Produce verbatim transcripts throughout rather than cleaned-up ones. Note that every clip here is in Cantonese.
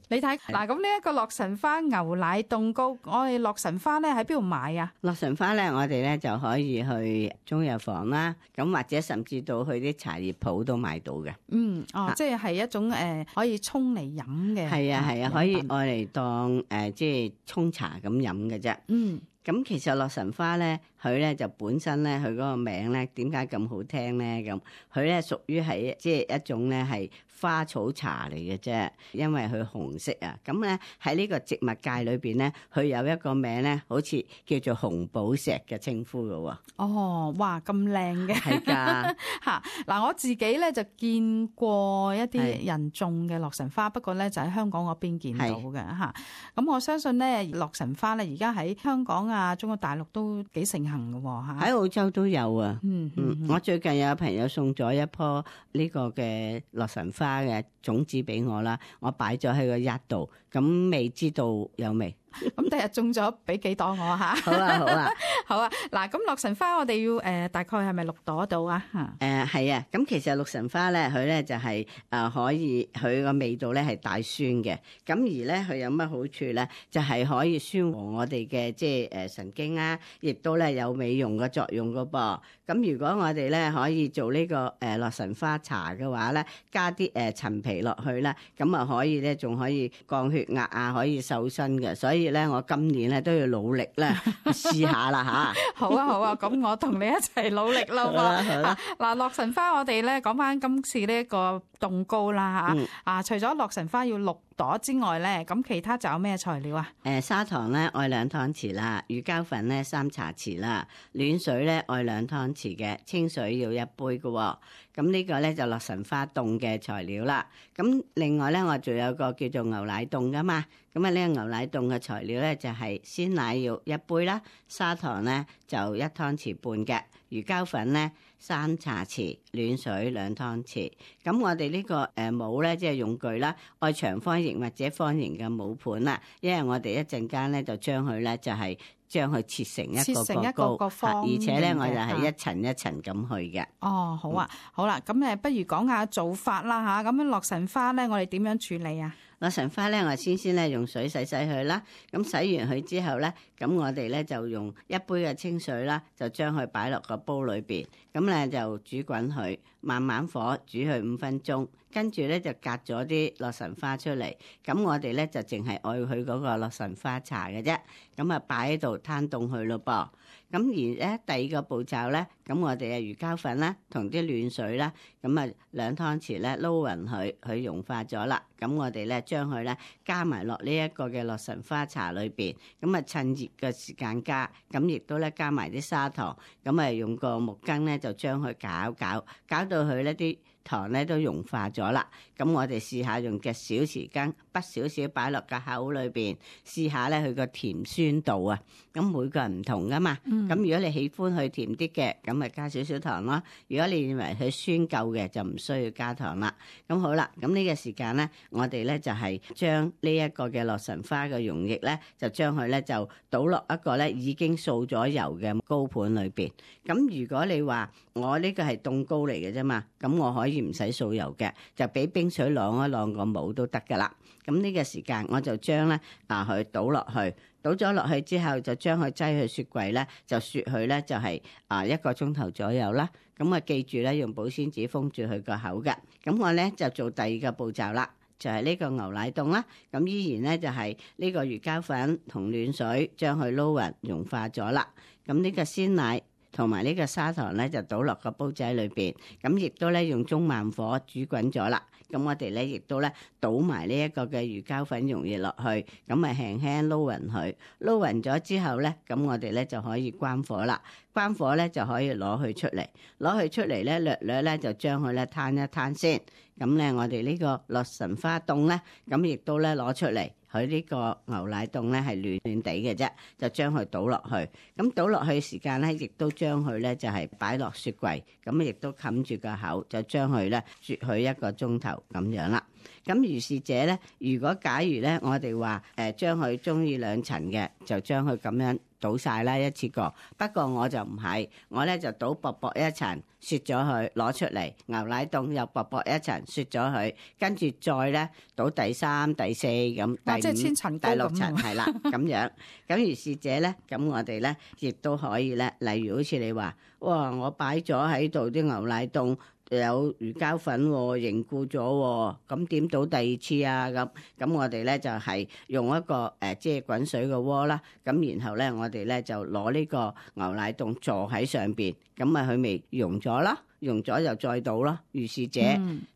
你睇嗱，咁呢一個洛神花牛奶凍糕，我哋洛神花咧喺邊度買啊？洛神花咧，我哋咧就可以去中藥房啦，咁或者甚至到去啲茶葉鋪都買到嘅。嗯，哦，啊即係係一種誒、呃、可以沖嚟飲嘅。係啊係啊，飲可以品愛嚟當誒、呃、即係沖茶咁飲嘅啫。嗯。咁其實洛神花咧，佢咧就本身咧，佢嗰個名咧點解咁好聽咧？咁佢咧屬於係即係一種咧係花草茶嚟嘅啫，因為佢紅色啊。咁咧喺呢個植物界裏邊咧，佢有一個名咧，好似叫做紅寶石嘅稱呼嘅喎。哦，哇，咁靚嘅，係㗎嚇嗱！我自己咧就見過一啲人種嘅洛神花，不過咧就喺香港嗰邊見到嘅嚇。咁我相信咧，洛神花咧而家喺香港啊、中國大陸都幾盛行嘅喎嚇。喺澳洲都有啊。嗯嗯，嗯，我最近有朋友送咗一棵呢個嘅洛神花嘅種子俾我啦，我擺咗喺個一度，咁未知道有未？咁第日種咗俾幾朵我嚇。好啊好啊。好啊！嗱，咁洛神花我哋要誒、呃、大概係咪六朵到啊？嚇、誒係啊，咁其實洛神花咧，佢咧就係、是、誒、呃、可以佢個味道咧係帶酸嘅，咁而咧佢有乜好處咧？就係、是、可以舒緩我哋嘅即係誒神經啊，亦都咧有美容嘅作用噶噃。咁如果我哋咧可以做呢、這個誒、呃、洛神花茶嘅話咧，加啲誒、呃、陳皮落去啦，咁啊可以咧仲可以降血壓啊，可以瘦身嘅。所以咧我今年咧都要努力咧試下啦嚇。好啊好啊，咁我同你一齊努力啦喎！嗱，洛神花我哋咧講翻今次呢一個凍糕啦嚇，嗯啊除咗洛神花要六朵之外咧，咁其他仲有咩材料啊？誒砂糖咧愛兩湯匙啦，乳膠粉咧三茶匙啦，暖水咧愛兩湯匙嘅，清水要一杯嘅喎。咁呢個咧就洛神花凍嘅材料啦。咁另外咧我仲有個叫做牛奶凍噶嘛。咁啊呢個牛奶凍嘅材料咧就係鮮奶要一杯啦，砂糖咧就一湯匙半嘅，乳膠粉咧三茶匙，暖水兩湯匙。咁我哋呢個誒模咧即係用具啦，愛長方形或者方形嘅模盤啦，因為我哋一陣間咧就將佢咧就係將佢切成一個切成一個糕，個個方而且咧形嘅我就係一層一層咁去嘅。哦，好啊，好啦，咁誒不如講下做法啦嚇。咁樣洛神花咧，我哋點樣處理啊？洛神花咧，我先先咧用水洗洗佢啦。咁洗完佢之後咧，咁我哋咧就用一杯嘅清水啦，就將佢擺落個煲裏邊。咁咧就煮滾佢，慢慢火煮佢五分鐘。跟住咧就隔咗啲洛神花出嚟。咁我哋咧就淨係愛佢嗰個洛神花茶嘅啫。咁啊擺喺度攤凍佢咯噃。咁而咧第二個步驟咧，咁我哋嘅魚膠粉啦，同啲暖水啦，咁啊兩湯匙咧撈勻佢，佢融化咗啦。咁我哋咧將佢咧加埋落呢一個嘅洛神花茶裏邊，咁啊趁熱嘅時間加，咁亦都咧加埋啲砂糖，咁啊用個木羹咧就將佢攪攪，攪到佢呢啲糖咧都融化咗啦。咁我哋試下用隻小匙羹，滗少少擺落個口裏邊，試下咧佢個甜酸度啊。咁每個人唔同噶嘛，咁、嗯、如果你喜歡佢甜啲嘅，咁咪加少少糖咯。如果你認為佢酸夠嘅，就唔需要加糖啦。咁好啦，咁呢個時間咧，我哋咧就係將呢一個嘅洛神花嘅溶液咧，就將佢咧就倒落一個咧已經掃咗油嘅糕盤裏邊。咁如果你話我呢個係凍糕嚟嘅啫嘛，咁我可以唔使掃油嘅，就俾冰水晾一晾個模都得噶啦。咁呢個時間我就將咧啊佢倒落去。倒咗落去之後，就將佢擠去雪櫃咧，就雪佢咧就係啊一個鐘頭左右啦。咁啊記住咧，用保鮮紙封住佢個口嘅。咁我咧就做第二個步驟啦，就係呢個牛奶凍啦。咁依然咧就係呢個魚膠粉同暖水將佢撈勻融化咗啦。咁呢個鮮奶同埋呢個砂糖咧就倒落個煲仔裏邊，咁亦都咧用中慢火煮滾咗啦。咁我哋咧亦都咧倒埋呢一個嘅魚膠粉溶液落去，咁啊輕輕撈勻佢，撈勻咗之後咧，咁我哋咧就可以關火啦。關火咧就可以攞佢出嚟，攞佢出嚟咧略略咧就將佢咧攤一攤先。咁咧我哋呢個洛神花凍咧，咁亦都咧攞出嚟。佢呢個牛奶凍咧係暖暖地嘅啫，就將佢倒落去。咁倒落去時間咧，亦都將佢咧就係擺落雪櫃，咁亦都冚住個口，就將佢咧雪佢一個鐘頭咁樣啦。咁如是者咧，如果假如咧，我哋話誒將佢中意兩層嘅，就將佢咁樣倒晒啦一次過。不過我就唔係，我咧就倒薄薄一層，雪咗佢攞出嚟，牛奶凍又薄薄一層雪咗佢，跟住再咧倒第三、第四咁，第五、即係千層糕第六層咁係啦咁樣。咁如是者咧，咁我哋咧亦都可以咧，例如好似你話，哇！我擺咗喺度啲牛奶凍。有魚膠粉喎，凝固咗喎，咁點倒第二次啊？咁咁我哋咧就係用一個誒即係滾水嘅鍋啦，咁然後咧我哋咧就攞呢個牛奶凍坐喺上邊，咁咪佢咪溶咗啦，溶咗就再倒咯，如是者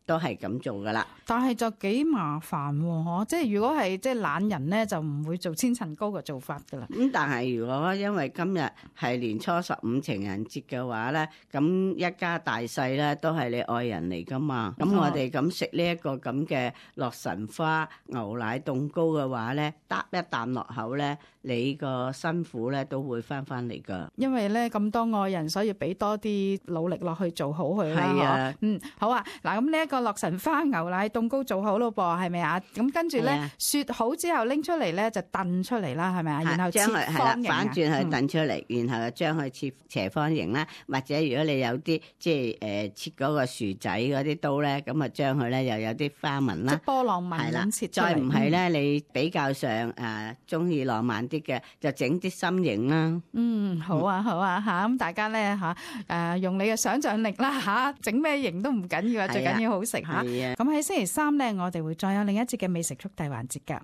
都係咁做噶啦。但係就幾麻煩喎，嗬！即係如果係即係懶人咧，就唔會做千層糕嘅做法噶啦。咁但係如果因為今日係年初十五情人節嘅話咧，咁一家大細咧都係你愛人嚟噶嘛。咁我哋咁食呢一個咁嘅洛神花牛奶凍糕嘅話咧，嗒一啖落口咧，你個辛苦咧都會翻翻嚟噶。因為咧咁多愛人，所以俾多啲努力落去做好佢啦。係啊，嗯，好啊。嗱，咁呢一個洛神花牛奶凍糕做好咯噃，係咪啊？咁跟住咧雪好之後拎出嚟咧就燉出嚟啦，係咪啊？然後切將佢係啦，方形啊反轉去燉出嚟，嗯、然後就將佢切斜方形啦，或者如果你有啲即係誒、呃、切嗰個薯仔嗰啲刀咧，咁啊將佢咧又有啲花紋啦，即波浪紋係啦咁切出嚟。再唔係咧，你比較上誒中意浪漫啲嘅，就整啲心形啦。嗯，好啊，好啊，嚇咁大家咧嚇誒用你嘅想像力啦嚇，整咩型都唔緊要啊，最緊要好食嚇。咁喺星期三咧，我哋會再有另一節嘅美食速遞環節㗎。